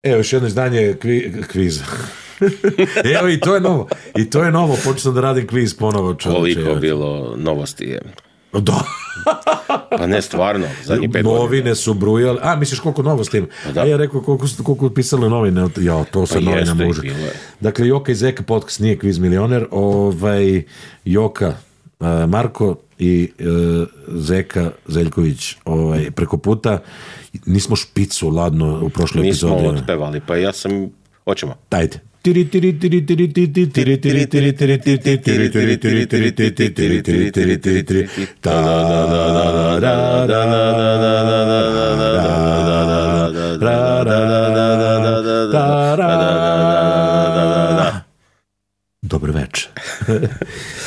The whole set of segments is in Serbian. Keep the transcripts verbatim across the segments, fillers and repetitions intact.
Evo još jedno izdanje kvi, kviza. Evo i to je novo. I to je novo, počeo da radim kviz ponovo. Čovječe. Koliko bilo novosti je. Da. Pa ne, stvarno, zadnjih pet novine godina. su brujale. A, misliš koliko novosti ima? Pa a ja rekao koliko, koliko pisalo novine. Ja, to sa pa novina muža. Dakle, Joka i Zeka podcast nije kviz milioner. Ovaj, Joka, uh, Marko i uh, Zeka Zeljković ovaj, preko puta. Nismo špicu ladno u prošloj epizodi. Nismo otpevali, pa ja sam... Hoćemo. Dajte. Dobro večer.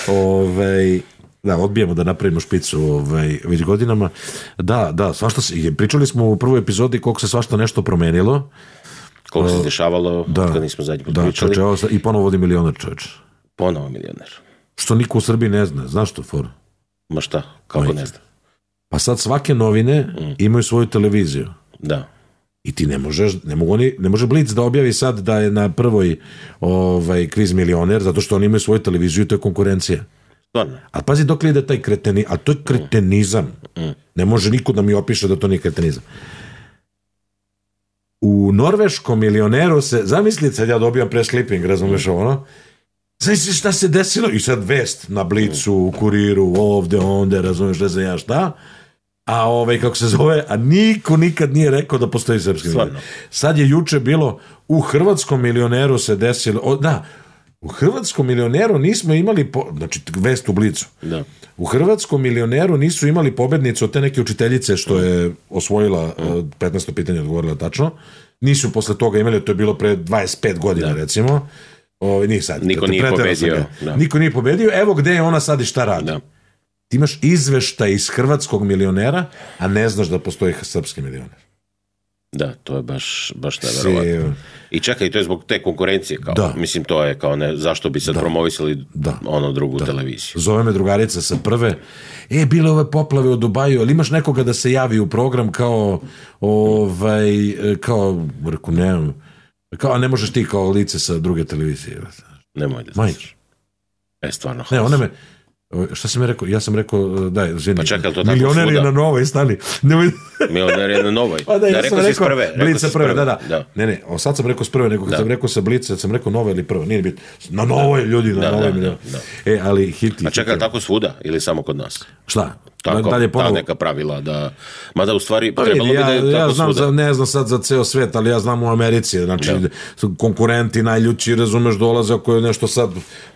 Ovaj da, odbijemo da napravimo špicu ovaj, već godinama. Da, da, svašta se, pričali smo u prvoj epizodi koliko se svašta nešto promenilo. Koliko se dešavalo, da, kad nismo zadnji put da, pričali. Čoče, i ponovo vodi milioner, čovječ. Ponovo milioner. Što niko u Srbiji ne zna, znaš to, for? Ma šta, kako Majte. Ne zna? Pa sad svake novine mm. imaju svoju televiziju. Da. I ti ne možeš, ne, mogu oni, ne može Blic da objavi sad da je na prvoj ovaj, kviz milioner, zato što oni imaju svoju televiziju i to je konkurencija. Stvarno. A pazi dok li ide taj kreteni, a to je kretenizam. Mm. Ne može niko da mi opiše da to nije kretenizam. U norveškom milioneru se, zamislite, sad ja dobijam press clipping, razumeš ovo, ono? Zamisli šta se desilo? I sad vest na Blicu, u Kuriru, ovde, onde, razumeš, ne znam ja šta. A ovaj, kako se zove, a niko nikad nije rekao da postoji srpski milioner. Sad je juče bilo, u hrvatskom milioneru se desilo, o, da, u hrvatskom milioneru nismo imali, po, znači vest u Blicu, da. U hrvatskom milioneru nisu imali pobednicu od te neke učiteljice što je osvojila mm. petnaesto pitanja, odgovorila tačno. Nisu posle toga imali, to je bilo pre dvadeset pet godina, da. Recimo. O, nije sad. Niko nije pobedio. Da. Niko nije pobedio. Evo gde je ona sad i šta radi. Da. Ti imaš izveštaj iz hrvatskog milionera, a ne znaš da postoji srpski milioner. Da, to je baš, baš neverovatno. I čekaj, to je zbog te konkurencije, kao, da. Mislim, to je kao ne, zašto bi sad da. Promovisali da. Ono drugu da. Televiziju. Zove me drugarica sa prve, e, bile ove poplave u Dubaju, ali imaš nekoga da se javi u program kao, ovaj, kao, reku, ne, kao, a ne možeš ti kao lice sa druge televizije. Nemoj da znaš. E, stvarno. Ne, ona me, šta sam je rekao? Ja sam rekao, daj, izvini. Pa čekaj, to tako milioner svuda. Je na Novoj, stani. Milioner je na Novoj. Pa da, ja da, sam rekao rekao, prve, Blic sa prve, da, da, da. Ne, ne, o, sad sam rekao s prve, nego kad da. sam rekao sa Blica, sam rekao Nova ili prva, nije bit. Na Novoj, da. Ljudi, na da, Novoj. Da, da, da. E, ali hiti. A čekaj, tako svuda ili samo kod nas? Šta? Tako, dalje ponovo. Ta neka pravila da, mada u stvari pa trebalo vidi, bi da je ja, tako ja znam svuda. Za, ne znam sad za ceo svet, ali ja znam u Americi, znači da. Konkurenti najljući, razumeš, dolaze ako je nešto sad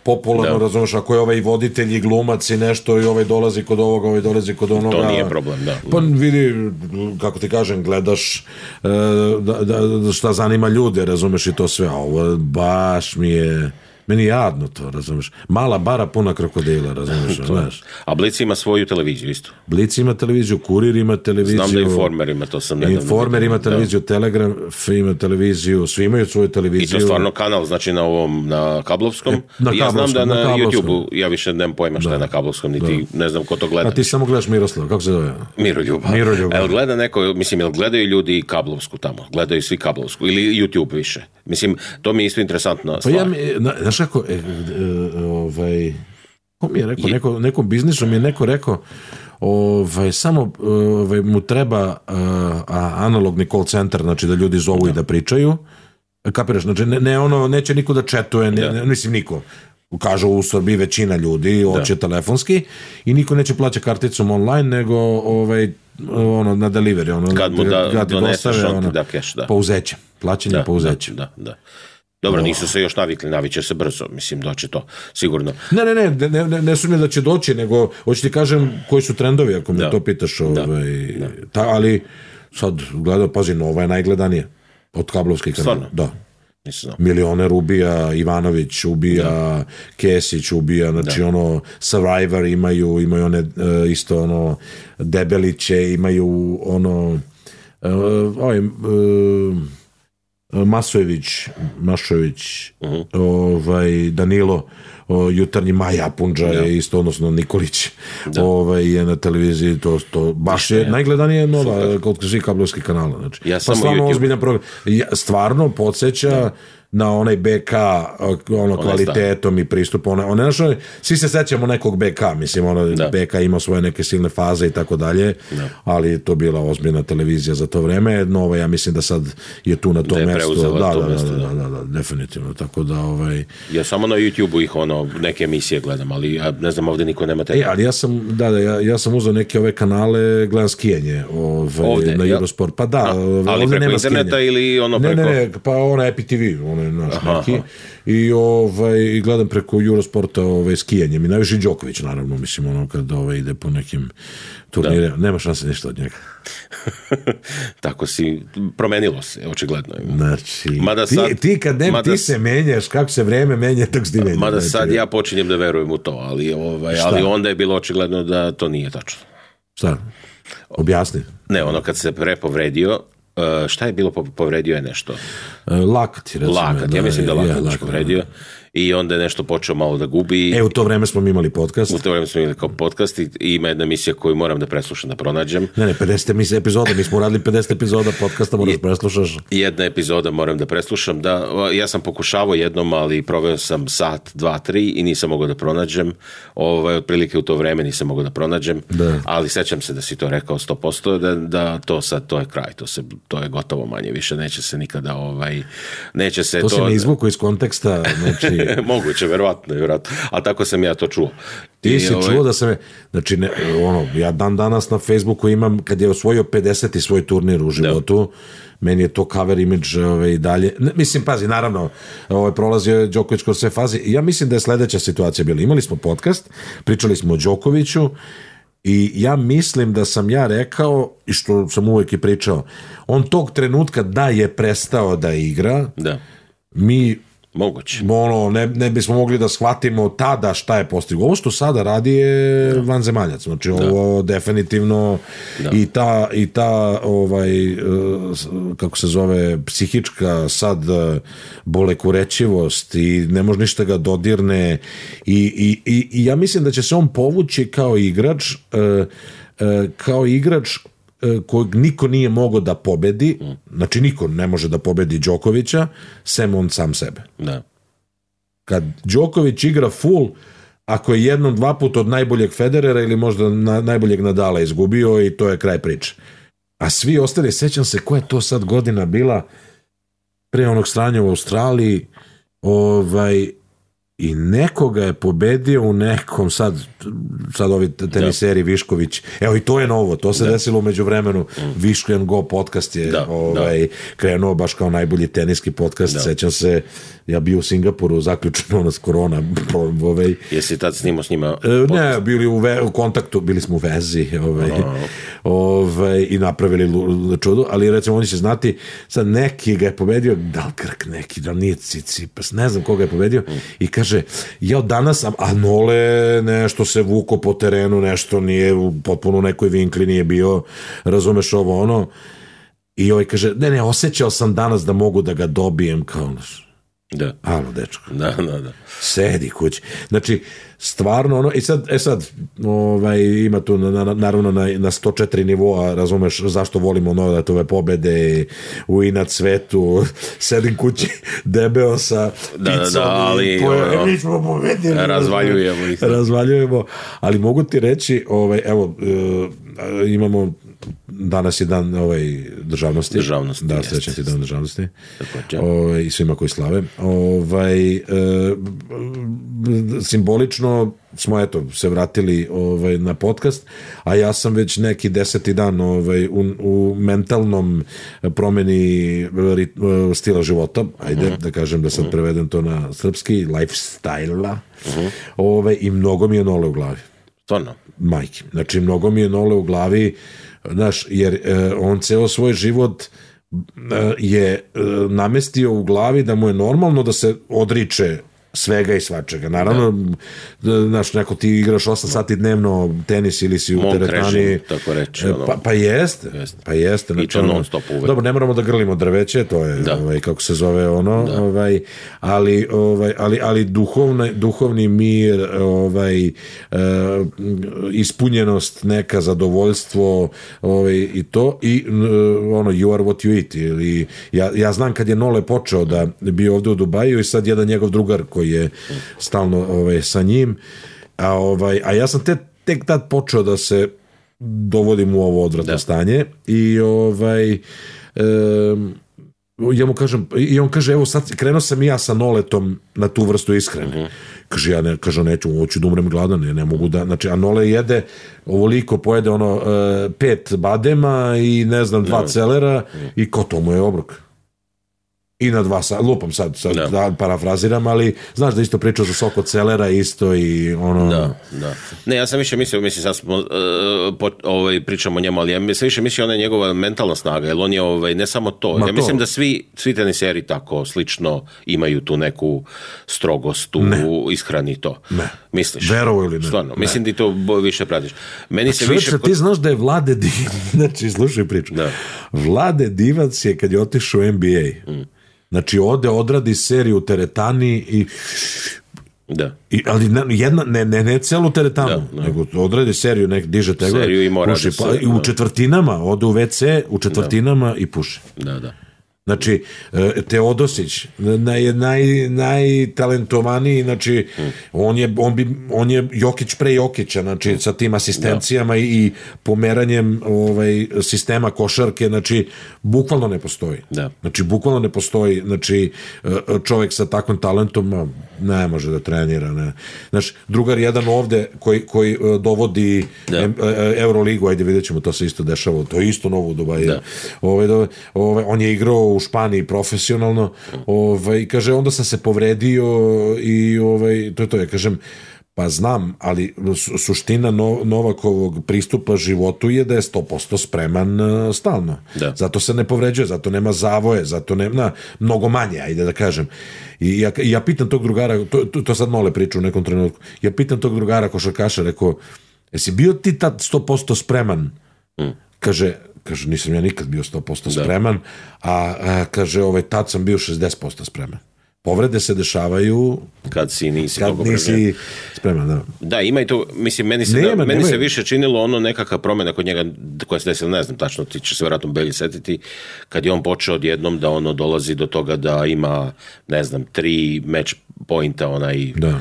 popularno, da. Razumeš, ako je ovaj voditelj i glumac i nešto i ovaj dolazi kod ovoga, ovaj dolazi kod onoga. To nije problem, da. Pa vidi, kako ti kažem, gledaš da, da, šta zanima ljude, razumeš, i to sve, a ovo baš mi je... Meni je jadno to, razumiješ. Mala bara puna krokodila, razumiješ. Znaš. A Blic ima svoju televiziju isto. Blic ima televiziju, Kurir ima televiziju. Znam da Informer ima, to sam nedavno. Informer ima televiziju, da. Telegram ima televiziju, svi imaju svoju televiziju. I to stvarno kanal, znači na ovom, na kablovskom. E, na ja znam da na, na YouTube-u, ja više nemam pojma šta da. Je na kablovskom, niti da. Ne znam ko to gleda. A ti samo gledaš Miroslav, kako se zove? Miroljuba. Miroljuba. Jel gleda neko, mislim, jel gledaju ljudi kablovsku tamo? Gledaju svi kablovsku ili YouTube više? Mislim, to mi je isto interesantna stvar. Pa ja mi, znaš kako, e, e, ovaj, ko mi je rekao, neko, nekom biznisu mi je neko rekao, ovaj, samo ovaj, mu treba uh, analogni call center, znači da ljudi zovu da. I da pričaju, kapiraš, znači ne, ne ono, neće niko da četuje, ne, ne, mislim niko. Kažu u Srbiji većina ljudi hoće telefonski i niko neće plaća karticom online, nego ovaj, ono, na delivery, ono, kad mu da, kad doneseš dostave, ono, da cash, da. Pouzeće, plaćanje da, pouzeće. Da, da, da. Dobro, nisu se još navikli, naviće se brzo, mislim, doći to, sigurno. Ne, ne, ne, ne, ne, ne sumnjam da će doći, nego, hoću ti kažem koji su trendovi, ako me da. To pitaš, ovaj, da. Ta, ali sad gledao, pazi, Nova je najgledanija od kablovskih kanala. Da. Milioner ubija, Ivanović ubija, da. Kesić ubija, znači da. Ono, Survivor imaju, imaju one isto ono, Debeliće, imaju ono, ovaj, Masojević, Mašović, uh-huh. ovaj, Danilo, o, jutarnji Maja Punđa ja. je isto, odnosno Nikolić ovaj, je na televiziji, to, to baš je, je najgledanije nova kod svih kablovskih kanala. Znači. Ja pa stvarno YouTube... ozbiljan program. Ja, stvarno podsjeća ja. na onaj B K ono, kvalitetom sta. i pristupom. One, one, svi se sećamo nekog B K, mislim, ono, B K ima svoje neke silne faze i tako dalje, ali to bila ozbiljna televizija za to vreme. Nova, ja mislim da sad je tu na tom mestu. Da, to da, mesto, da, da, da, da, definitivno. Tako da, ovaj... Ja samo na YouTube-u ih ono, neke emisije gledam, ali ja ne znam, ovdje niko nema te. E, ali ja sam, da, da, ja, ja sam uzeo neke ove kanale, gledam skijanje ovaj, ovdje, na Eurosport. Pa da, A, ali ovdje preko nema interneta skijanje. Ili ono preko... Ne, ne, ne, pa ona Epi T V, ono je naš aha, neki. Aha. I ovaj, gledam preko Eurosporta ovaj, skijanje. Mi najviše Đoković, naravno, mislim, ono kad ovaj, ide po nekim turnirima. Nema šanse ništa od njega. Tako si, promenilo se, očigledno. Znači, mada sad, ti, ti kad ne, mada, ti se menjaš, kako se vreme menja, tako si ti menjaš. Mada znači, sad ja počinjem da verujem u to, ali, ovaj, ali onda je bilo očigledno da to nije tačno. Šta? Objasni. Ne, ono kad se prepovredio, Uh, šta je bilo, povredio je nešto? Uh, lakat je, recimo. Lakat, ja mislim da je lakat je povredio. I onda je nešto počeo malo da gubi. E, u to vreme smo imali podcast. U to vreme smo imali kao podcast i ima jedna emisija koju moram da preslušam, da pronađem. Ne, ne, pedeset epizoda, mi smo uradili pedeset epizoda podcasta, moraš da preslušaš. Jedna epizoda moram da preslušam, da, ja sam pokušavao jednom, ali proveo sam sat, dva, tri i nisam mogao da pronađem. Ovaj, otprilike u to vreme nisam mogao da pronađem, da. Ali sećam se da si to rekao sto posto, da, da to sad, to je kraj, to, se, to je gotovo manje, više neće se nikada, ovaj, neće se to... To se ne izvuku iz konteksta, znači... Moguće, verovatno, verovatno. A tako sam ja to čuo. Ti I, si ovaj... čuo da sam je, znači, ne, ono, ja dan danas na Facebooku imam, kad je osvojio pedeseti svoj turnir u životu, da. Meni je to cover image ovaj, i dalje. Ne, mislim, pazi, naravno, ovaj, prolazio je Đoković kroz sve faze. Ja mislim da je sledeća situacija bila. Imali smo podcast, pričali smo o Đokoviću, i ja mislim da sam ja rekao, i što sam uvijek i pričao, on tog trenutka da je prestao da igra, da. Mi moguće. Ono, ne, ne bismo mogli da shvatimo tada šta je postigao. Ovo što sada radi je da. vanzemaljac. Znači, da. ovo definitivno da. i ta, i ta ovaj, kako se zove, psihička sad bolekurećivost i ne može ništa ga dodirne i, i, i, i ja mislim da će se on povući kao igrač kao igrač kojeg niko nije mogao da pobedi, znači niko ne može da pobedi Đokovića, sem on sam sebe. Da. Kad Đoković igra full, ako je jednom, dva puta od najboljeg Federera ili možda na, najboljeg Nadala izgubio i to je kraj priče. A svi ostali, sećam se koja je to sad godina bila pre onog stranja u Australiji, ovaj, i nekoga je pobedio u nekom sad, sad ovi teniseri da. Višković, evo i to je novo, to se da. desilo umeđu vremenu, mm. Viško and Go podcast je da. Ovaj, da. krenuo baš kao najbolji teniski podcast, da. sećam se, ja bio u Singapuru, zaključeno nas korona. Ovaj, jesi tad snimao s njima podcast? Ne, bili u, ve, u kontaktu, bili smo u vezi ovaj, ovaj, i napravili čudo, ali recimo oni će znati, sad neki ga je pobedio, da li Krk neki, da li nije Tsitsipas, ne znam koga je pobedio, mm. i kaže, ja danas sam, a Nole nešto se vuko po terenu, nešto nije, potpuno u nekoj vinkli nije bio, razumeš ovo ono, i ovaj kaže, ne, ne, osjećao sam danas da mogu da ga dobijem, kao, da. Alo, dečko. Da, da, da. Sedi kući. Znači, stvarno ono, i sad, e sad, ovaj, ima tu na, na, naravno na, na sto četiri nivoa, razumeš zašto volimo Novatove pobede u inat svetu, sedim kući debeo sa picom, da, da, da, ali po, mi smo pobedili, razvaljujemo ih. Razvaljujemo, ali mogu ti reći, ovaj, evo, uh, imamo danas je dan ovaj, državnosti. Državnosti, da, sljedeći je dan državnosti. Ovaj, i svima koji slave. Ovaj, e, simbolično smo eto, se vratili ovaj, na podcast, a ja sam već neki deseti dan ovaj, u, u mentalnom promeni rit, stila života, ajde uh-huh. da kažem da sad uh-huh. prevedem to na srpski, lifestyle-a, uh-huh. ovaj, i mnogo mi je Nole u glavi. Stvarno? Majke. Znači, mnogo mi je Nole u glavi, znaš, jer eh, on ceo svoj život eh, je eh, namestio u glavi da mu je normalno da se odriče svega i svačega. Naravno, da. Znaš, neko ti igraš osam sati dnevno tenis ili si u Monk teretani. Režim, tako reći. Ono. Pa, pa jeste. Jeste. Pa jeste. I to non stop uvek. Dobro, ne moramo da grlimo drveće, to je, ovaj, kako se zove ono, ovaj, ali, ovaj, ali, ali duhovni, duhovni mir, ovaj, uh, ispunjenost, neka zadovoljstvo, ovaj, i to, i uh, ono, you are what you eat. Ili, ja, ja znam kad je Nole počeo da bio ovde u Dubaju i sad jedan njegov drugar koji je stalno ovaj, sa njim, a, ovaj, a ja sam te, tek tad počeo da se dovodim u ovo odvratno da. stanje i ovaj e, ja mu kažem, i on kaže, evo sad krenuo sam i ja sa Noletom na tu vrstu ishrane. Uh-huh. Kaže, ja ne, kaže, neću, hoću da umrem gladan, ne, ne mogu da, znači, a Nole jede ovoliko, pojede ono uh, pet badema i ne znam, dva no. celera uh-huh. i ko to mu je obrok. I na dva sata, lupam sad, sad da. da parafraziram, ali znaš da isto pričao za sok od celera isto i ono... Da, da. Ne, ja sam više mislio, mislim, sad smo, uh, po, ovaj, pričamo o njemu, ali ja sam više mislio ona je njegova mentalna snaga, jer on je, ovaj, ne samo to, Ma ja to. mislim da svi, svi teniseri tako slično imaju tu neku strogost u ishrani to. Ne. Misliš? Verovo ili ne? Stvarno, ne. mislim da to više pratiš. Meni se Čovječe, više... ti znaš da je Vlade Divac, znači, slušaj priču, da. Vlade Divac je kad je otišao u N B A, mm. znači ode, odradi seriju u teretani i... Da. I, ali jedna, ne, ne, ne celu teretanu, da, da. nego odradi seriju, nek diže tegove, seriju i mora puši, da se, pa, i u četvrtinama, ode u ve ce, u četvrtinama da. i puši. Da, da. Znači, Teodosić, naj, naj, najtalentovaniji, znači, hmm. on, je, on, bi, on je Jokić pre Jokića, znači, hmm. sa tim asistencijama da. i, i pomeranjem ovaj, sistema košarke, znači, bukvalno ne postoji. Da. Znači, bukvalno ne postoji, znači, čovjek sa takvim talentom ne može da trenira. Ne. Znači, drugar jedan ovde koji, koji dovodi da. Euroligu, ajde vidjet ćemo, to se isto dešava, to je isto novo u Dubaju. Da. Ovaj, ovaj, on je igrao u Španiji profesionalno, ovaj, kaže, onda sam se povredio i ovaj, to je to, ja kažem, pa znam, ali suština no, Novakovog pristupa životu je da je sto posto spreman uh, stalno. Da. Zato se ne povređuje, zato nema zavoje, zato nema mnogo manje, ajde da kažem. I ja, ja pitam tog drugara, to, to, to sad Nole priča u nekom trenutku, ja pitam tog drugara košarkaša, rekao, jesi bio ti tad sto posto spreman? Mm. Kaže, kaže, nisam ja nikad bio sto posto spreman, a, a kaže, ovaj, tad sam bio šezdeset posto spreman. Povrede se dešavaju kad si nisi, kad nisi spreman. Da. da, ima i to, mislim, meni se, nema, da, meni se više činilo ono nekakva promjena kod njega koja se desila, ne znam tačno, ti će se vjerojatno Belji setiti, kad je on počeo odjednom da ono dolazi do toga da ima, ne znam, tri match pointa onaj... Da.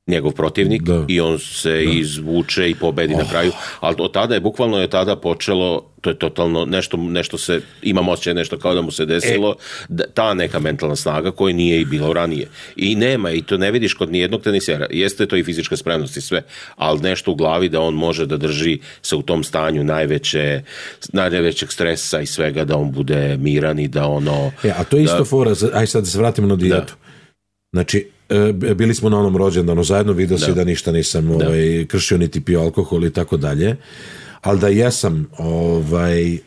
njegov protivnik da. i on se da. izvuče i pobedi oh. na kraju, ali od tada je, bukvalno je tada počelo, to je totalno nešto, nešto se, imam osjećaj nešto kao da mu se desilo, e. da, ta neka mentalna snaga koja nije i bilo ranije. I nema, i to ne vidiš kod nijednog tenisera, jeste to i fizička spremnost i sve, ali nešto u glavi da on može da drži se u tom stanju najveće, najvećeg stresa i svega, da on bude miran i da ono... E, a to je isto da, fora, aj sad da se vratimo na dijetu. Da. Znači, bili smo na onom rođendanu zajedno, vidio si da. da ništa nisam da. ovaj, kršio, niti pio alkohol i tako dalje, ali da jesam, ovaj,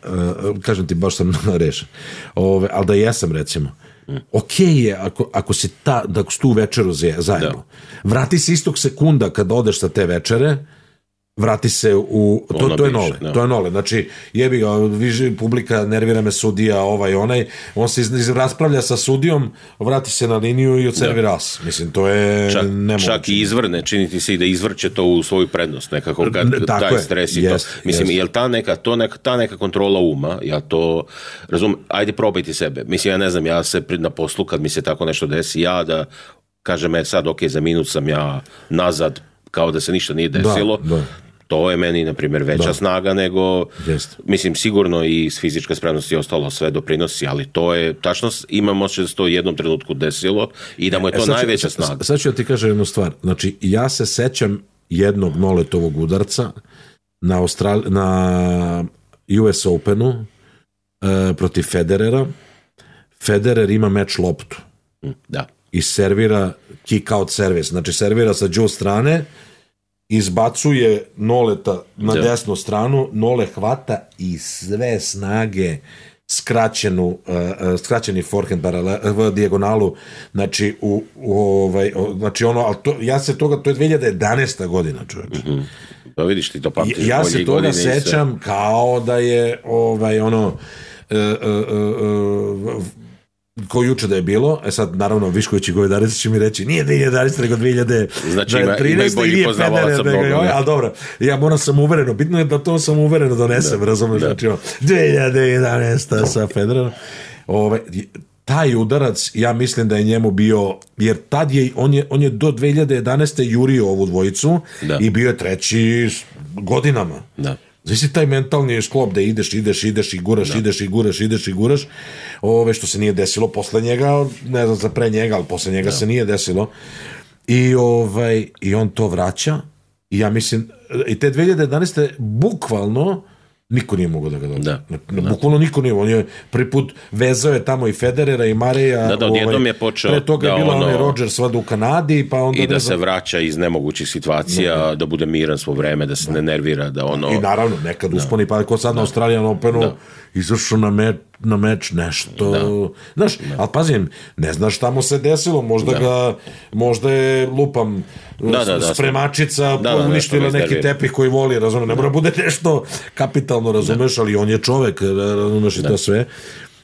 kažem ti, baš sam rešen, ovaj, ali da jesam, recimo, mm. ok je ako, ako si ta, da s tu večeru zajedno. Da. Vrati se istog sekunda kad odeš sa te večere, vrati se u... To, to je nole. No. To je nole. Znači, jebi ga, viži, publika, nervira me sudija, ovaj, onaj, on se iz, iz, raspravlja sa sudijom, vrati se na liniju i odservira as. Mislim, to je čak, nemoguće. Čak i izvrne, činiti se i da izvrće to u svoju prednost, nekako kad ne, taj je. stres i yes, to. Mislim, yes. jel ta neka, to neka, ta neka kontrola uma, ja to razumem, ajde probajte sebe. Mislim, ja ne znam, ja se na poslu, kad mi se tako nešto desi, ja da kažem, e, sad, ok, za minut sam ja nazad, kao da se ništa nije desilo, da, da. To je meni, na primjer, veća da. snaga nego, Jest. mislim, sigurno i fizička spremnost i ostalo sve doprinosi, ali to je, tačno imam osjećaj da se to u jednom trenutku desilo i da mu je to e, najveća ću, snaga. Sad ću ja ti kažem jednu stvar. Znači, ja se sećam jednog Noletovog udarca na, Austral... na U S Openu e, protiv Federera. Federer ima meč loptu. Da. I servira kick out servis. Znači, servira sa džu strane, izbacuje Noleta na da. desnu stranu, Nole hvata i sve snage skraćenu, uh, skraćeni forehand paralel, v dijagonalu, znači, u, u ovaj, znači ono, ali to, ja se toga, to je dve hiljade jedanaesta godina, čovječe. Mm-hmm. Pa vidiš, ti to pamtiš. Ja se toga sećam kao da je, ovaj, ono, uh, uh, uh, ko juče da je bilo, e sad naravno Višković i Govedarica će mi reći nije dve hiljade jedanaesta nego dve hiljade trinaeste znači ima, ima i bolji poznavalaca mnogo. Ali dobro, ja moram sam uvereno, bitno je da to sam uvereno donesem, da, razumeš, da. Znači dve hiljade jedanaesta sa Federerom. Ove, taj udarac, ja mislim da je njemu bio, jer tad je, on je, on je do dve hiljade jedanaeste jurio ovu dvojicu da. I bio je treći godinama. Da. Znači taj mentalni sklop da ideš, ideš, ideš i guraš, da. ideš i guraš, ideš i guraš, ove što se nije desilo posle njega, ne znam za pre njega, ali posle njega da. Se nije desilo. I, ovaj, i on to vraća i ja mislim, i te dve hiljade jedanaeste bukvalno niko nije mogao da ga dobije. Da. Bukvalno niko nije. On je prvi put vezao je tamo i Federera i Mareja. Da, da, odjednom ovaj, je počeo pre toga da je bila ono, onaj Rodgers vada u Kanadi, pa onda i da se vraća iz nemogućih situacija, da, da bude miran svo vreme, da se da. Ne nervira, da ono... I naravno, nekad da. Usponi, pa ko sad da. Na Australijan Openu da. Izašao na meč, na meč nešto, da. Znaš, da. Ali pazim, ne znaš šta mu se desilo, možda da. Ga, možda je lupam da, da, da, spremačica da, uništila da, neki tepih koji voli, razumeš, ne mora bude nešto kapitalno, razumeš, da. Ali on je čovek, razumeš, i da. To sve.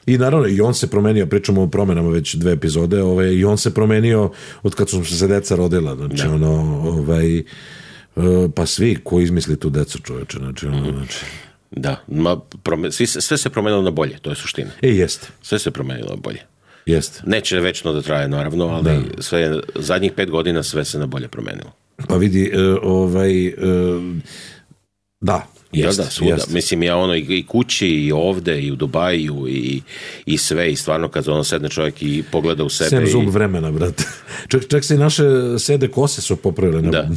I naravno, i on se promenio, pričamo o promenama već dve epizode, ovaj, i on se promenio od kad su se deca rodila, znači, da. Ono, ovaj, pa svi koji izmisli tu decu, čoveče, znači, ono, znači... Da, ma, prome, svi, sve se promenilo na bolje, to je suština. E, jeste. Sve se promenilo na bolje. Jeste. Neće večno da traje, naravno, ali da. Sve, zadnjih pet godina sve se na bolje promenilo. Pa vidi, uh, ovaj, uh, da, jeste. Ja, da, svuda. Jest. Mislim, ja ono i, i kući, i ovde, i u Dubaju, i, i sve, i stvarno kad ono sedne čovjek i pogleda u sebe... Sem zub i... vremena, brate. Čak, čak se i naše sede kose su popravile. Da.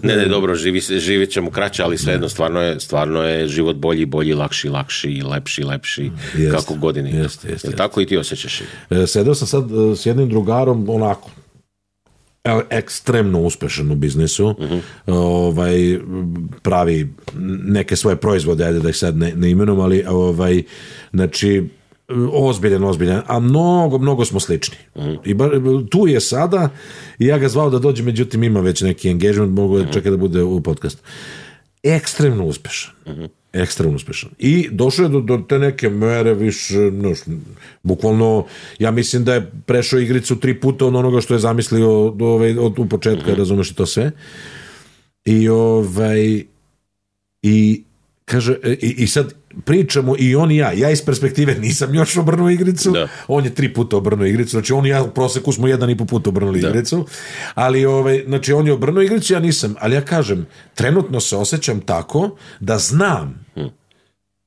Ne, ne, dobro, živi, živjet ćemo kraće, ali svejedno, stvarno je, stvarno je život bolji, bolji, lakši, lakši, lepši, lepši, jest, kako godini. Jest, jest, jest. Tako i ti osjećaš. Sedeo sam sad s jednim drugarom, onako, ekstremno uspešan u biznisu, uh-huh. ovaj, pravi neke svoje proizvode, ajde da ih sad ne, ne imenom, ali ovaj, znači, ozbiljan, ozbiljan, a mnogo, mnogo smo slični. Uh-huh. I bar, tu je sada, i ja ga zvao da dođe, međutim ima već neki engagement, mogu uh-huh. čekati da bude u podcastu. Ekstremno uspešan. Uh-huh. Ekstremno uspešan. I došao je do, do te neke mere više, no, bukvalno, ja mislim da je prešao igricu tri puta od onoga što je zamislio do, ovaj, od u početka, mm-hmm. razumeš i to sve. I ovaj i kaže, i, i sad pričamo i on i ja, ja iz perspektive nisam još obrnuo igricu, da. On je tri puta obrnuo igricu, znači on i ja u proseku smo jedan i po puta obrnuli da. Igricu, ali ovaj, znači on je obrnuo igricu, ja nisam, ali ja kažem, trenutno se osjećam tako da znam, hmm.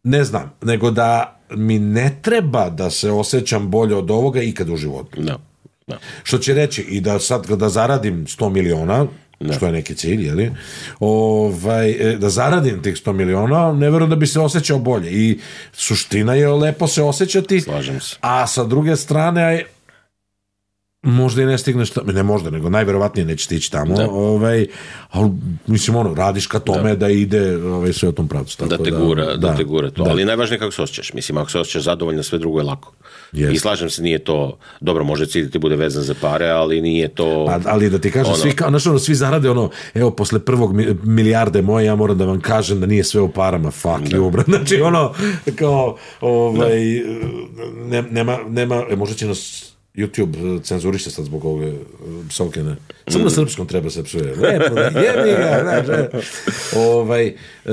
ne znam, nego da mi ne treba da se osjećam bolje od ovoga ikad u životu. Da. Da. Što će reći i da sad kada zaradim sto miliona, da. Što je neki cilj, jeli? Ovaj, da zaradim tih sto miliona, ne verujem da bi se osjećao bolje. I suština je lepo se osjećati, slažem se. A sa druge strane možda i ne stigneš tamo, ne možda, nego najverovatnije neće stići tamo, da. Ovaj, ali mislim ono, radiš ka tome da, da ide ovaj, sve o tom pravcu. Tako da te gura, da, da te gura to, da. Ali najvažnije kako se osjećaš, mislim, ako se osjećaš zadovoljno, sve drugo je lako. Yes. I slažem se, nije to, dobro, može cilj da ti bude vezan za pare, ali nije to... A, ali da ti kažem, ono, svi, kao, znaš, ono, svi zarade ono, evo, posle prvog milijarde moje, ja moram da vam kažem da nije sve u parama, fuck da. You, bro. Znači, ono, kao, ovaj, ne, nema, nema, e, možda će nas YouTube cenzuriše sad zbog ove psovke, ne. Samo mm. na srpskom treba se psuje. Lepo, da jebi ga, znaš, ovaj, uh,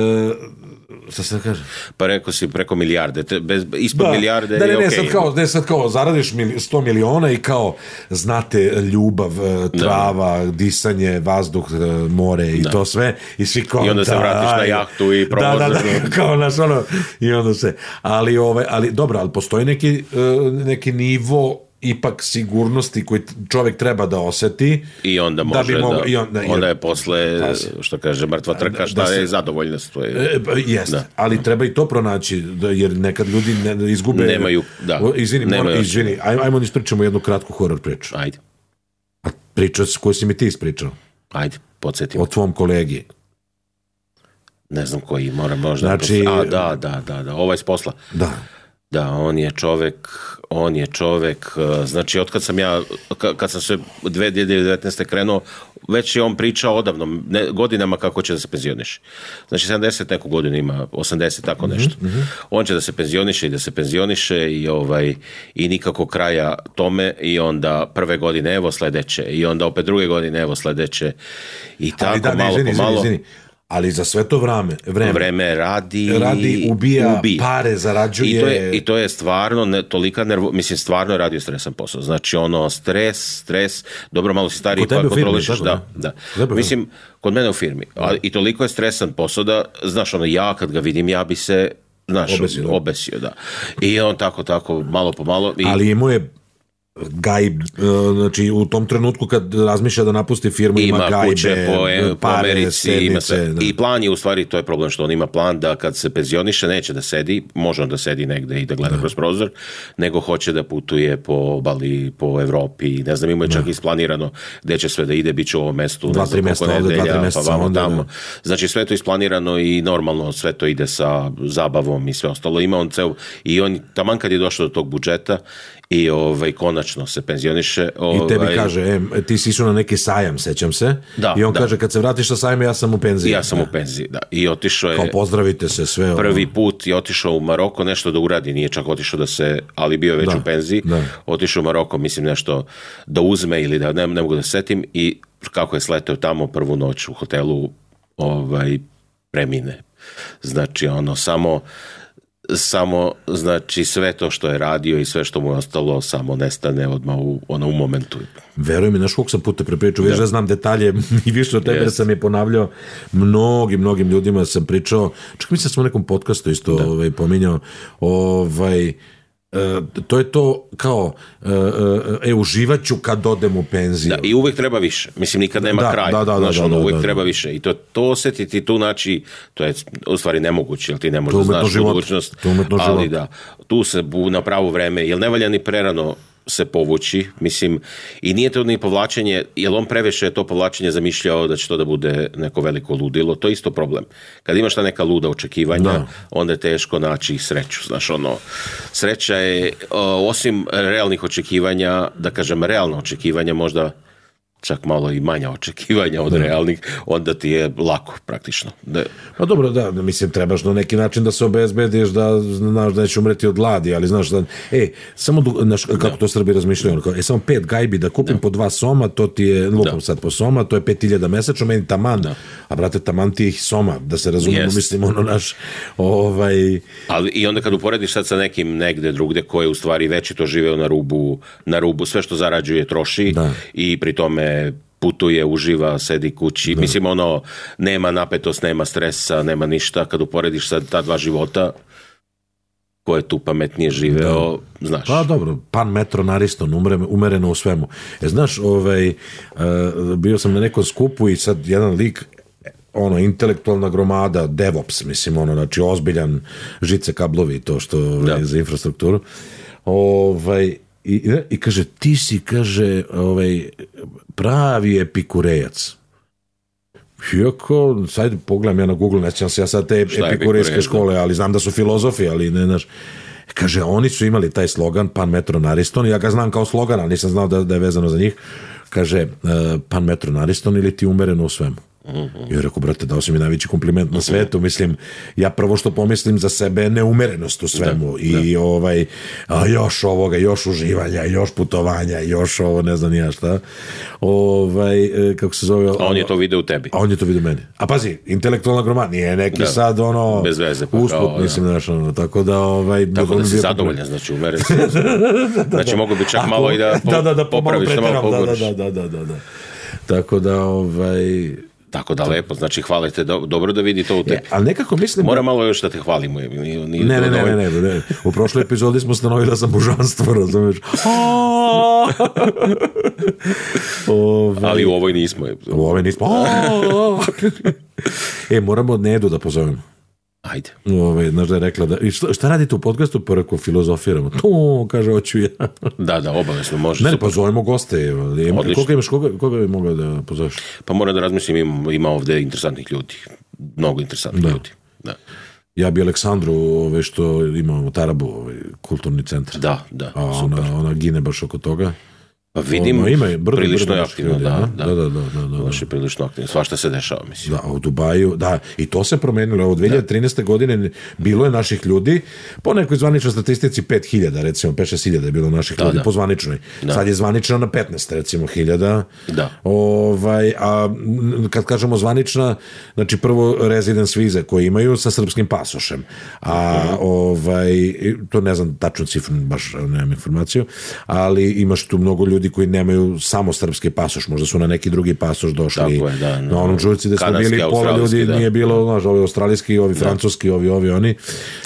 šta se da kaže? Pa rekao si preko milijarde, te, bez, ispod da, milijarde da, ne, je ne, okej. Okay. Sad kao, ne, sad kao, zaradiš sto miliona i kao, znate, ljubav, trava, da. Disanje, vazduh, more i da. To sve, i svi kao, i onda se da, vratiš na jahtu i provozaš. Da, da, da, kao naš, ono, i onda se, ali, ovaj, ali, dobro, ali postoji neki, neki nivo ipak sigurnosti koji čovjek treba da oseti i onda može da, bi mogo, da i onda, onda je posle pazi, što kaže mrtva trka šta da se, je zadovoljnost to je, e, jest, da. Ali treba i to pronaći da, jer nekad ljudi ne, izgube nemaju, da, izvini, nemaju izvini, ajmo, ajmo ispričamo jednu kratku horor priču. Ajde. A priča koju si mi ti ispričao. Ajde, podsjetim. O tvom kolegi. Ne znam koji, moram možda. Znači, a, da, da, da, da, ovaj s posla. Da. Da, on je čovek, on je čovek, znači od kad sam ja, kad sam se dve hiljade devetnaeste krenuo, već je on pričao odavno, ne, godinama kako će da se penzioniše. Znači sedamdeset neku godinu ima, osamdeset, tako nešto. Mm-hmm. On će da se penzioniše i da se penzioniše i, ovaj, i nikako kraja tome i onda prve godine evo sledeće i onda opet druge godine evo sledeće i tako da, malo ne, po malo. Izvini, izvini. Ali za sve to vreme, vreme, vreme radi, radi ubija, ubija, pare zarađuje. I to je, i to je stvarno ne, tolika nervo, mislim stvarno je radio stresan posao. Znači ono stres, stres, dobro malo si stariji pa kontrolišeš, da, da. da. Mislim, kod mene u firmi. A, i toliko je stresan posao da, znaš, ono ja kad ga vidim, ja bi se, znaš, obesio, da. obesio, da. I on tako, tako, malo po malo. I... Ali imao je gaj, znači u tom trenutku kad razmišlja da napusti firmu ima, ima gajbe, kuće po, pare, po Americi, sednice, ima sve. Da. I plan je u stvari, to je problem što on ima plan da kad se penzioniše neće da sedi, može on da sedi negde i da gleda da. kroz prozor, nego hoće da putuje po obali, po Evropi, ne znam, ima je čak da. isplanirano gde će sve da ide, bit će u ovom mestu, dva, ne znam koliko nedelja, dva, tri meseca, pa vamo onda, tamo. Da. Znači sve to isplanirano i normalno sve to ide sa zabavom i sve ostalo. Ima on ceo, i on taman kad je došao do tog budžeta i ovaj konačno se penzioniše. Ovaj... I tebi kaže, e, ti si išao na neki sajam, sećam se. Da, I on da. kaže, kad se vratiš na sajam, ja sam u penziji. Ja sam da. u penziji, da. I otišao je... Kao pozdravite se sve. Prvi ono. put je otišao u Maroko, nešto da uradi, nije čak otišao da se, ali bio je već da, u penziji. Da. Otišao u Maroko, mislim nešto da uzme ili da ne, ne mogu da setim i kako je sleteo tamo prvu noć u hotelu, ovaj, premine. Znači, ono, samo... samo, znači, sve to što je radio i sve što mu je ostalo samo nestane odmah u, ono, u momentu. Verujem mi, znaš koliko sam puta prepričao, već da znam detalje i više od tebe, yes. da sam je ponavljao mnogim, mnogim ljudima sam pričao, čak mislim da sam u nekom podcastu isto da. ovaj, pominjao, ovaj, Uh, to je to kao uh, uh, e, uživat ću kad odem u penziju. Da, i uvek treba više. Mislim, nikad nema da, kraja. Da, da, znaš, da, ono, da, uvek da, treba da. više. I to, to osetiti tu, znači, to je u stvari nemoguće, jer ti ne možeš da znaš život. budućnost. Ali život. Da, tu se na pravo vreme, jer ne valja ni prerano se povući, mislim, i nije to ni povlačenje, jer on previše je to povlačenje zamišljao da će to da bude neko veliko ludilo, to je isto problem. Kad imaš ta neka luda očekivanja, da. onda je teško naći sreću, znaš, ono, sreća je, osim realnih očekivanja, da kažem, realna očekivanja, možda čak malo i manja očekivanja od da. realnih, onda ti je lako praktično. Da. Pa dobro, da, mislim, trebaš na neki način da se obezbediš da znaš da neće umreti od gladi, ali znaš da, e, samo, znaš, kako da. to Srbi razmišljaju, e, samo pet gajbi da kupim da. po dva soma, to ti je, lupam da. sad po soma, to je pet hiljada mesečno, meni taman, da. a brate, taman ti ih soma, da se razumemo, yes. mislim, ono naš, ovaj... Ali i onda kad uporediš sad sa nekim negde drugde koji je u stvari već to živeo na rubu, na rubu, sve što zarađuje troši da. i pri tome putuje, uživa, sedi kući. Da. Mislim, ono, nema napetost, nema stresa, nema ništa. Kad uporediš sad ta dva života, ko je tu pametnije živeo, da. znaš. Pa dobro, pan metro nariston, umereno u svemu. E, znaš, ovaj, bio sam na nekom skupu i sad jedan lik, ono, intelektualna gromada, DevOps, mislim, ono, znači, ozbiljan žice kablovi, to što da. za infrastrukturu. Ovaj, I, i kaže, ti si, kaže, ovaj, pravi epikurejac. Iako, sad pogledam ja na Google, ne sjećam se ja sad te epikurejske škole, ali znam da su filozofi, ali ne, znaš. Kaže, oni su imali taj slogan, pan metro nariston, ja ga znam kao slogan, ali nisam znao da, da je vezano za njih. Kaže, pan metro nariston ili ti umereno u svemu. I ja rekao, brate, dao si mi najveći kompliment na svetu, mislim, ja prvo što pomislim za sebe je neumerenost u svemu da, i da. ovaj, a još ovoga, još uživanja, još putovanja, još ovo, ne znam ja šta, ovaj, kako se zove, a on je to video u tebi, a on je to video u meni, a pazi, intelektualna gromada, nije neki da. sad ono, bez veze, pa, usput, kao, mislim, znaš, ono, tako da, ovaj, tako da si zadovoljan, znači, umeren si, znači, mogu bi čak malo i da, po, da, da, da popraviš, da, malo pogoriš, da, da, da, da, da, tako da, ovaj, tako da lepo, znači hvalite, do, dobro da vidi to u tebi. Ja, ali nekako mislim... Mora malo još da te hvalimo. Nije, nije ne, ne, ne, ne, ne, ne. U prošloj epizodi smo stanovili da sam božanstvo, razumiješ? Ove... Ali u ovoj nismo. U ovoj nismo. E, moramo od Nedu da pozovemo. Ajde. Ove, znaš da je rekla da... I šta, šta radite u podcastu? Pa rekao, filozofiramo. To, kaže, hoću ja. Da, da, obavezno može. Ne, ne, pozovemo goste. Koga imaš, koga, koga bi mogao da pozoveš? Pa moram da razmislim, ima, ima ovde interesantnih ljudi. Mnogo interesantnih da. ljudi. Da. Ja bi Aleksandru, ove, što imamo u Tarabu, ovaj, kulturni centar. Da, da, a super. Ona, ona gine baš oko toga. Pa vidim, ono, ima brdo, prilično brdo, aktivno, ljudi, da, da, da, da, da, da, baš je prilično aktivno, svašta se dešava, mislim. Da, u Dubaju, da, i to se promenilo, evo, dve hiljade trinaeste. godine bilo je naših ljudi, po nekoj zvaničnoj statistici pet hiljada, recimo, pet šest hiljada je bilo naših da, ljudi, da. po zvaničnoj, da. Sad je zvanična na petnaest, recimo, hiljada, da. Ovaj, a kad kažemo zvanična, znači prvo residence vize koje imaju sa srpskim pasošem, a mm. ovaj, to ne znam tačno cifru, baš nemam informaciju, ali imaš tu mnogo ljudi koji nemaju samo srpski pasoš, možda su na neki drugi pasoš došli. Je, da, no. Na onom čulici gde smo bili, pola ljudi da. Nije bilo, znaš, ovi australijski, ovi da. Francuski, ovi, ovi, oni,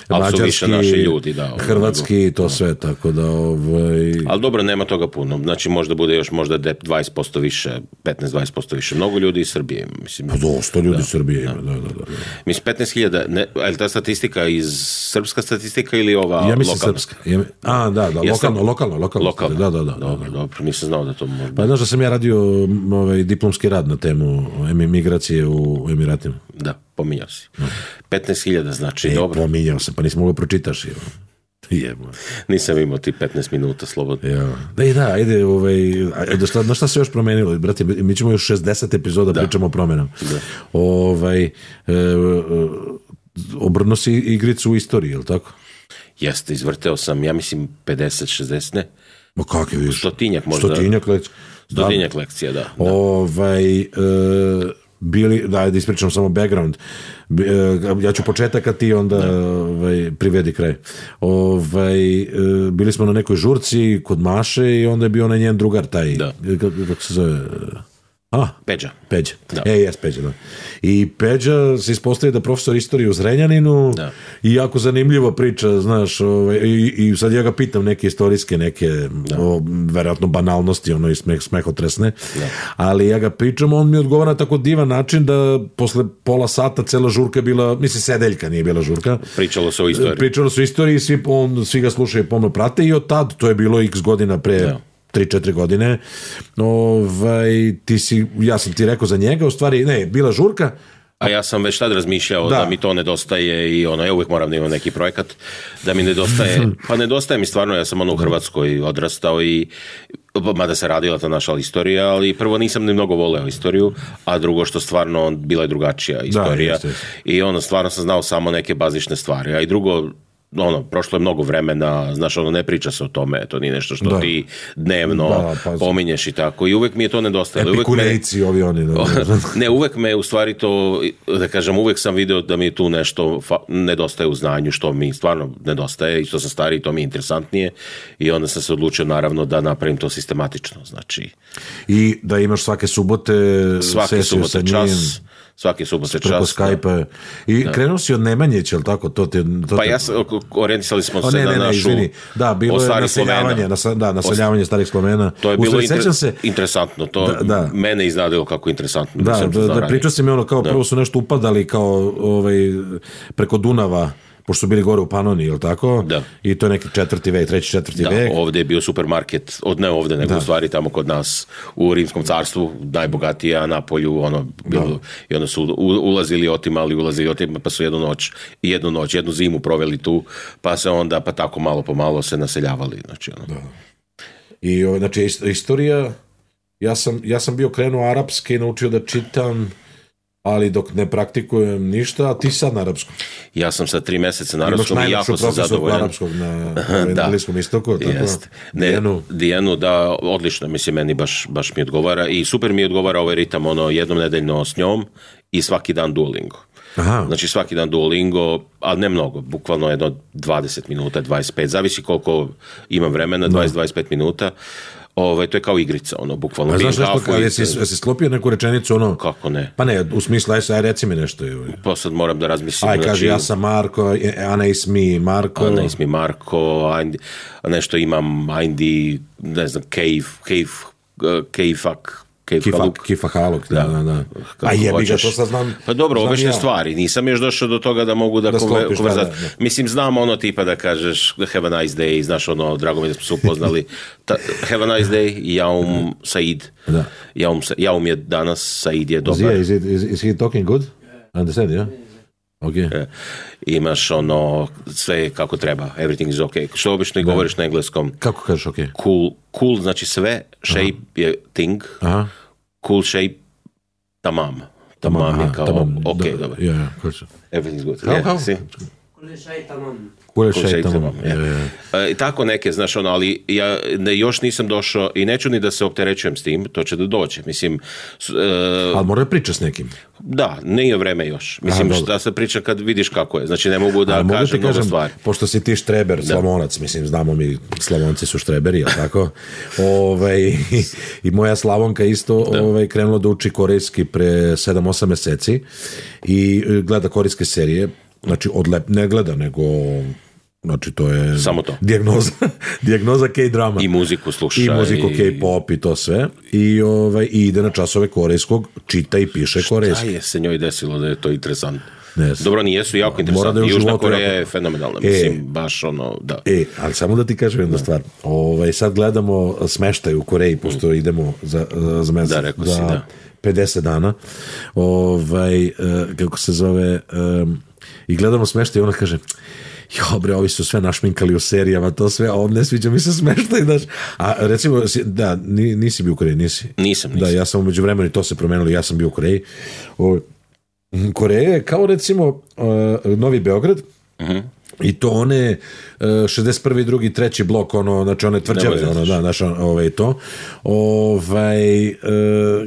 mađarski, ljudi, da, hrvatski i to da. Sve, tako da... Ovaj... Ali dobro, nema toga puno, znači možda bude još možda dvadeset posto više, petnaest do dvadeset posto više, mnogo ljudi iz Srbije, mislim. Pa dosta ljudi iz Srbije ima, da, da, da, da. Mislim, petnaest hiljada, je li ta statistika iz srpska statistika ili ova ja mislim lokalna? Srpska. Ja, a, da, da, lokalno, lokalno, lokalno. Lokalno, da, da, da. Dobro, da. dobro, nisam znao da to može. Pa znaš da sam ja radio ovaj, diplomski rad na temu emigracije u Emiratima. Da, pominjao si. No. petnaest hiljada znači, e, dobro. Pominjao sam, pa nisam mogao pročitaš. Jebo. Nisam imao ti petnaest minuta slobodno. Ja. Da, i da, ajde, ovaj, ajde, šta, na šta se još promenilo? Brate, mi ćemo još šezdeset epizoda, da. Pričamo o promenama. Da. Ovaj, e, obrnuo si igricu u istoriji, je li tako? Jeste, izvrteo sam, ja mislim, pedeset šezdeset, ne? Ma kak je viš? Stotinjak možda. Stotinjak lekcija. Stotinjak lekcija, da. da. Ovaj, e, bili, da, da ispričam samo background. Ja ću početak, a ti onda ovaj, privedi kraj. Ovaj, bili smo na nekoj žurci kod Maše i onda je bio onaj njen drugar taj. Da. Kako se zove? A, Peđa. Peđa. Da. E, jes, Peđa, da. I Peđa se ispostavi da profesor istorije u Zrenjaninu da. I jako zanimljivo priča, znaš, ovaj, i, i sad ja ga pitam neke istorijske, neke o, verovatno banalnosti, ono i smeh, smehotresne, da. Ali ja ga pričam, on mi odgovara na tako divan način da posle pola sata cela žurka je bila, mislim, sedeljka nije bila žurka. Pričalo se o istoriji. Pričalo se o istoriji, svi, on, svi ga slušaju, pomno prate i od tad, to je bilo x godina pre... Da. tri četiri godine, ovaj, ti si, ja sam ti rekao za njega, u stvari, ne, bila žurka. A ja sam već tad razmišljao da, da mi to nedostaje i ono, ja uvijek moram da imam neki projekat, da mi nedostaje, pa nedostaje mi stvarno, ja sam ono u Hrvatskoj odrastao i, mada se radila ta naša istorija, ali prvo nisam ni mnogo voleo istoriju, a drugo što stvarno bila je drugačija istorija da, jest, jest. I ono, stvarno sam znao samo neke bazične stvari, a i drugo, ono, prošlo je mnogo vremena, znaš, ono, ne priča se o tome, to nije nešto što da. Ti dnevno da, pa, pominješ i tako, i uvek mi je to nedostajalo. Epikurejci ovi oni. Da, ne, uvek me, u stvari to, da kažem, uvek sam video da mi tu nešto fa, nedostaje u znanju, što mi stvarno nedostaje i što sam stariji, to mi je interesantnije i onda sam se odlučio, naravno, da napravim to sistematično, znači. I da imaš svake subote svake subote čas, svaki subote čas. Preko Skype-a. I da. Krenuo si od Nemanjića, ali tako? To te, to pa te... ja sam, orijentisali smo o, se ne, na ne, našu... Izvini. Da, bilo je naseljavanje, nas, da, naseljavanje starih Slovena. To je bilo Ustavi, inter... se, interesantno. To da, da. Mene iznadilo kako interesantno. Da, da, da, da pričao si mi ono kao, da. Prvo su nešto upadali kao ovaj, preko Dunava, pošto su bili gore u Panoni, je li tako? Da. I to je neki četvrti vek, treći, četvrti da, vek. Ovdje je bio supermarket, od ne ovdje, nego da. U stvari tamo kod nas u Rimskom carstvu, najbogatija, Napolju, ono, bilo, da. I onda su ulazili, otimali, ulazili, otimali, pa su jednu noć, jednu noć, jednu zimu proveli tu, pa se onda, pa tako malo po malo se naseljavali. Znači, ono. Da. I, znači, istorija, ja sam, ja sam bio krenuo arapske i naučio da čitam, ali dok ne praktikujem ništa, a ti sad na arapskom. Ja sam sad tri meseca na arapskom i jako sam zadovoljan. Imaš najlepšu profesorku arapskog na, na Bliskom istoku. Jest. Dijenu. Dijenu, da, odlično, mislim, meni baš, baš mi odgovara i super mi odgovara ovaj ritam, ono, jednom nedeljno s njom i svaki dan Duolingo. Aha. Znači svaki dan Duolingo, ali ne mnogo, bukvalno jedno dvadeset minuta, dvadeset pet, zavisi koliko imam vremena, dvadeset do dvadeset pet minuta. Ove, to je kao igrica, ono, bukvalno. A znaš nešto, ali jesi, jesi sklopio neku rečenicu, ono? Kako ne? Pa ne, u smislu, aj, aj reci mi nešto. Pa sad moram da razmislim. Aj, kaže, znači, ja sam Marko, Ana is me, Marko. Ana is me, Marko, ajde, nešto imam, ajde, ne znam, cave, cave, cave fuck, Kifak, kifahaluk, da, da, da. A jebi ga, to sad znam. Pa dobro, obične ja. Stvari, nisam još došao do toga da mogu da, da konverzat. Da, da. Mislim, znam ono tipa da kažeš have a nice day, znaš ono, drago mi da smo se upoznali, Ta, have a nice day, jaum Said. Da. Jaum, jaum je danas, Said je dobar. Is he, is, is he talking good? Understand, yeah? Okay. E, imaš ono, sve kako treba, everything is ok. Što obično i govoriš na engleskom. Kako kažeš ok? Cool, cool znači sve, shape Aha. je thing, Aha. cool shape, tamam. Tamam, tamam je kao, tamam, ok, da, dobro. Yeah, yeah, everything is good. How, yeah, how? See? Kule šaj tamam. Kule šaj tamam. Ja. Ja. E, tako neke, znaš, ono, ali ja ne, još nisam došao i neću ni da se opterećujem s tim, to će da dođe. Mislim, e, ali mora priča s nekim. Da, nije vreme još. Mislim, Aha, da se priča kad vidiš kako je. Znači, ne mogu da kažem, kažem mnogo stvari. Pošto si ti štreber, da. Slavonac, mislim, znamo mi, Slavonci su štreberi, jel tako? Ove, i, i moja Slavonka isto ove, krenula da uči korejski pre sedam osam meseci i gleda korejske serije. Znači, odlep, ne gleda, nego... Znači, to je... Samo to. Dijagnoza, dijagnoza K-drama. I muziku sluša. I muziku i... K-pop i to sve. I, ovaj, i ide na časove korejskog, čita i piše korejski. Šta je se njoj desilo da je to interesantno? Ne, dobro, nijesu jako interesantni. Da Južna Koreja jako... je fenomenalna. E, mislim, baš ono, da. E, ali samo da ti kažem jednu stvar. Ovaj, sad gledamo smeštaj u Koreji, pošto mm. idemo za, za mesec. Da, rekao za si, da. pedeset dana. Ovaj, kako se zove... Um, i gledamo smeštaj i ona kaže... Jo bre, ovi su sve našminkali u serijama, to sve, a on ne sviđa mi se smeštaj, znaš. A recimo, da, nisi bio u Koreji, nisi? Nisam, nisam. Da, ja sam umeđu vremenu i to se promenilo, ja sam bio u Koreji. O, Koreja je kao recimo uh, Novi Beograd, uh-huh. i to one uh, šezdeset prvi, drugi, treći blok, ono, znači one tvrđave, ono, da, znaš, ovaj, to, ovaj, uh,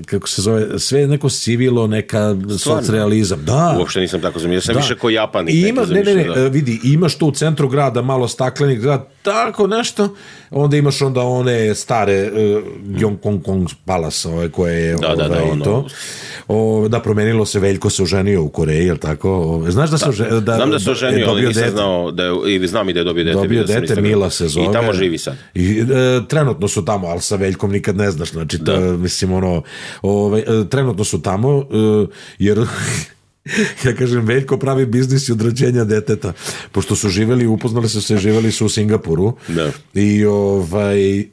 kako se zove, sve je neko civilo, neka socrealizam, da. Uopšte nisam tako zamišljao, ja sam da. više ko Japanik. I ima, ne, ne, ne, da. vidi, imaš tu u centru grada malo staklenih grad, tako nešto, onda imaš onda one stare uh, Gyeongkong Palace, ove, koje je, da, ovaj, da, da, ono, to. O, da, promenilo se, Veljko se oženio u Koreji, jel tako? O, znaš da se oženio? Da, znam da se oženio, ali nisam znao, da je, i znam i da je dobio dete. Dobio dete, Mila se zove. I tamo živi sad. I, e, trenutno su tamo, ali sa Veljkom nikad ne znaš, znači, da. ta, mislim, ono, ove, e, trenutno su tamo, e, jer... ja kažem, Veljko pravi biznis i od rođenja deteta, pošto su živeli, upoznali su se, živeli su u Singapuru da. i ovaj e,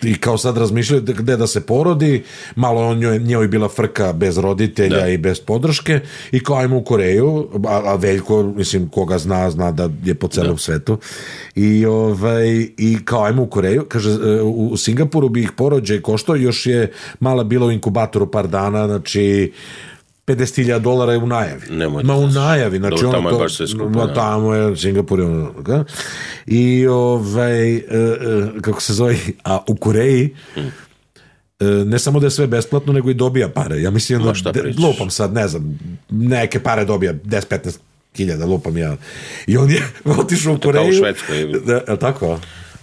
i kao sad razmišljaju gde da se porodi, malo on njoj, njoj bila frka bez roditelja da. i bez podrške i kao ajmo u Koreju, a, a Veljko, mislim, koga zna, zna da je po celom da. svetu i, ovaj, i kao ajmo u Koreju, kaže, u, u Singapuru bi ih porođaj koštao, još je mala bila u inkubatoru par dana, znači pedeset hiljada dolara je u najavi. Nemoj Ma u najavi, znači do, tamo ono je baš sve skupo. No, tamo je Singapur je ono, okay? I ovaj, kako se zove, a u Koreji hmm. ne samo da je sve besplatno, nego i dobija pare. Ja mislim Ma, da, lupam sad, ne znam, neke pare dobija deset petnaest hiljada, lupam ja. I on je otišao u Koreju. Kao u Švedskoj. Da, je tako?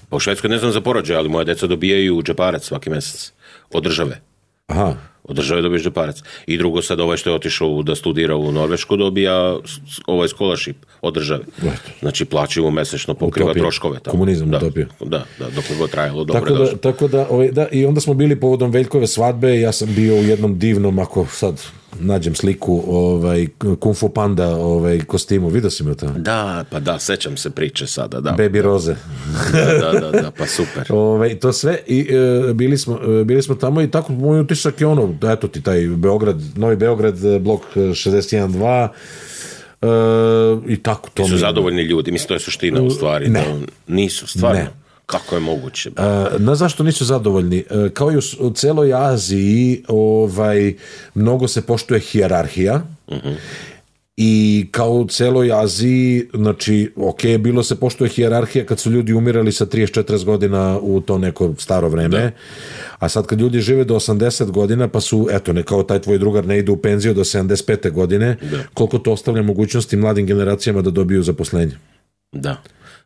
Pa u Švedskoj ne znam za porođaj, ali moja deca dobijaju džeparac svaki mesec od države. Aha. Od države dobiješ džeparac. I drugo, sad ovaj što je otišao da studira u Norvešku dobija ovaj scholarship od države. Znači plaćaju mu mesečno, pokriva utopija. Troškove. Tamo. Komunizam, da, utopija. Da, da, dok je god trajalo, dobro tako da, tako da, ovaj, da, i onda smo bili povodom Veljkove svadbe, ja sam bio u jednom divnom, ako sad nađem sliku, ovaj, Kung Fu Panda ovaj, kostimu, vidio si me to? Da, pa da, sećam se priče sada. Da, Baby da. Roze. Da, da, da, da, pa super. Ovaj, to sve, i e, bili, smo, e, bili smo tamo i tako moj utisak je ono, eto ti taj Beograd, Novi Beograd, blok šezdeset jedan dva, e, i tako to. I su mi... zadovoljni ljudi, mislim, to je suština u stvari. Ne. Da, nisu, stvarno. Ne. Kako je moguće? Uh, na zašto nisu zadovoljni? Uh, kao i u, u celoj Aziji, ovaj, mnogo se poštuje hijerarhija. Uh-huh. I kao u celoj Aziji, znači, ok, bilo se poštuje hijerarhija kad su ljudi umirali sa trideset četrdeset godina u to neko staro vreme, da. A sad kad ljudi žive do osamdeset godina, pa su, eto, ne kao taj tvoj drugar ne ide u penziju do sedamdeset pete godine, da. Koliko to ostavlja mogućnosti mladim generacijama da dobiju zaposlenje. Da.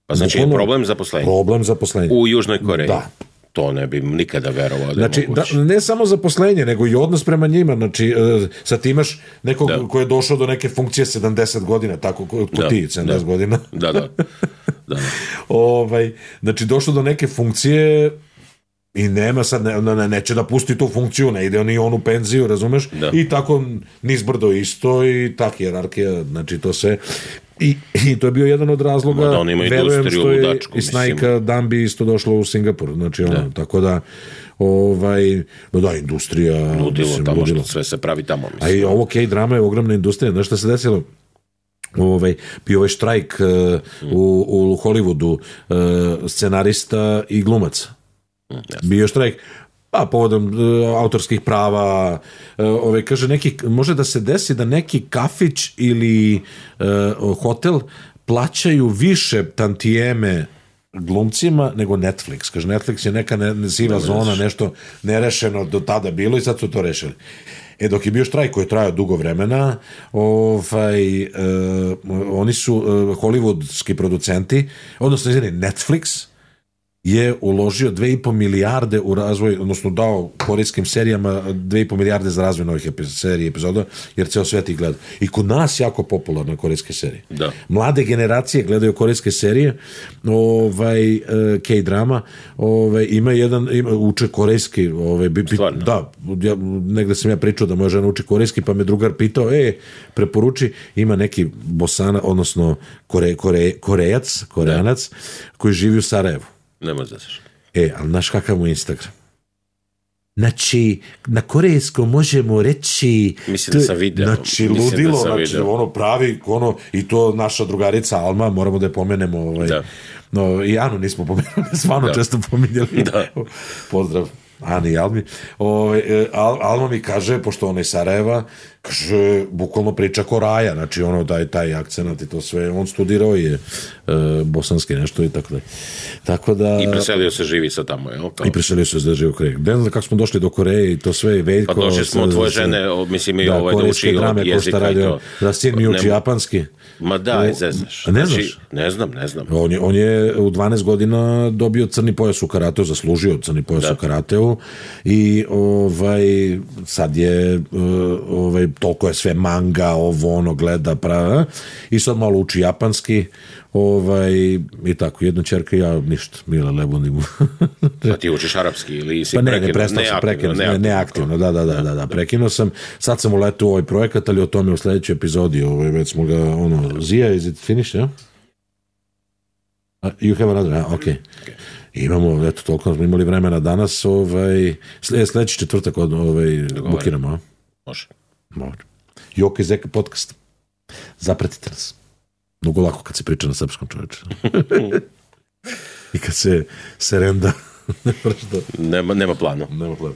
Pa znači je problem zaposlenja. Problem zaposlenja. U Južnoj Koreji. Da. To ne bi nikada verovao da znači, da, ne samo zaposlenje, nego i odnos prema njima. Znači, uh, sad ti imaš nekog da. Ko je došao do neke funkcije sedamdeset godina, tako ko da, ti, sedamdeset da. godina. Da, da. da, da. ovaj, znači, došao do neke funkcije i nema sad, ne, ne, neće da pusti tu funkciju, ne ide ni on u penziju, razumeš? Da. I tako nizbrdo isto i tak jerarhija, znači to sve. I, i to je bio jedan od razloga, da verujem što je ludačku, i Snajka Dambi isto došlo u Singapur, znači ono, da. Tako da ovaj, da, industrija ludilo mislim, tamo ludilo. Što sve se pravi tamo, mislim. A i ovo K-drama je ogromna industrija, znaš šta se desilo? ovaj, bio ovaj štrajk uh, u, u Hollywoodu uh, scenarista i glumaca. Mm, bio štrajk pa povodom uh, autorskih prava, uh, ovaj, kaže neki, može da se desi da neki kafić ili uh, hotel plaćaju više tantijeme glumcima nego Netflix. Kaže, Netflix je neka ne, siva zona, nešto nerešeno do tada bilo i sad su to rešili. E, dok je bio štrajk koji je trajao dugo vremena, ovaj, uh, oni su uh, hollywoodski producenti, odnosno, izvini, Netflix je uložio dve i po milijarde u razvoj, odnosno dao korejskim serijama dve i po milijarde za razvoj novih serija i epizoda, jer ceo svet ih gleda. I kod nas jako popularne korejske serije. Da. Mlade generacije gledaju korejske serije, ovaj, K-drama, ovaj, ima jedan, ima, uče korejski, ovaj, bi, bi, da, ja, negde sam ja pričao da moja žena uči korejski, pa me drugar pitao, e, preporuči, ima neki Bosana, odnosno kore, kore, Korejac, Koreanac, da, koji živi u Sarajevu. Nema znaš. E, ali znaš kakav mu Instagram? Znači, na korejskom možemo reći... Mislim da sam video. Znači, ludilo, da znači, video. Ono pravi, ono, i to naša drugarica Alma, moramo da je pomenemo, ovaj, da. No, i Anu nismo pomenuli, stvarno često pominjali. Da. Pozdrav Ani i Almi. O, Al, Alma mi kaže, pošto ona iz Sarajeva, kaže, bukvalno priča ko Raja, znači ono, taj, taj akcenat i to sve, on studirao je e, bosanski nešto i tako da. Tako da... I preselio se živi sa tamo, jel? Kao... I preselio se da živi u Koreji. Ne znam kako smo došli do Koreje i to sve, Veljko... Pa došli smo od tvoje žene, mislim, i da, ovaj da uči od jezika i to. Da, sin mi uči japanski. Ma da, i znaš. Ne znači, znaš? Ne znam, ne znam. On je, on je u dvanaest godina dobio crni pojas u karateu, zaslužio crni pojas da. u karateu i ovaj, sad je ovaj, toliko je sve manga, ovo ono gleda prava, i sad malo uči japanski, ovaj, i tako, jedna ćerka i ja ništa, mile lebunimo. A ti učiš arapski ili si pa ne, prekinuo? ne, prestao sam, prekinuo, ne, neaktivno, da, da, da, da, da, prekinuo sam, sad sam uletao u ovaj projekat, ali o tome u sledećoj epizodi, ovaj, već smo ga, ono, Zija, is it finished, ja? Uh, you have another, ah, ok. okay. Imamo, eto, toliko smo imali vremena danas, ovaj, sledeći četvrtak ovaj, bukiramo, a? Može. Može. Joko i Zeka podcast. Zapratite nas. Mnogo lako kad se priča na srpskom, čoveče. I kad se serenda. nema, nema plana. Nema plana.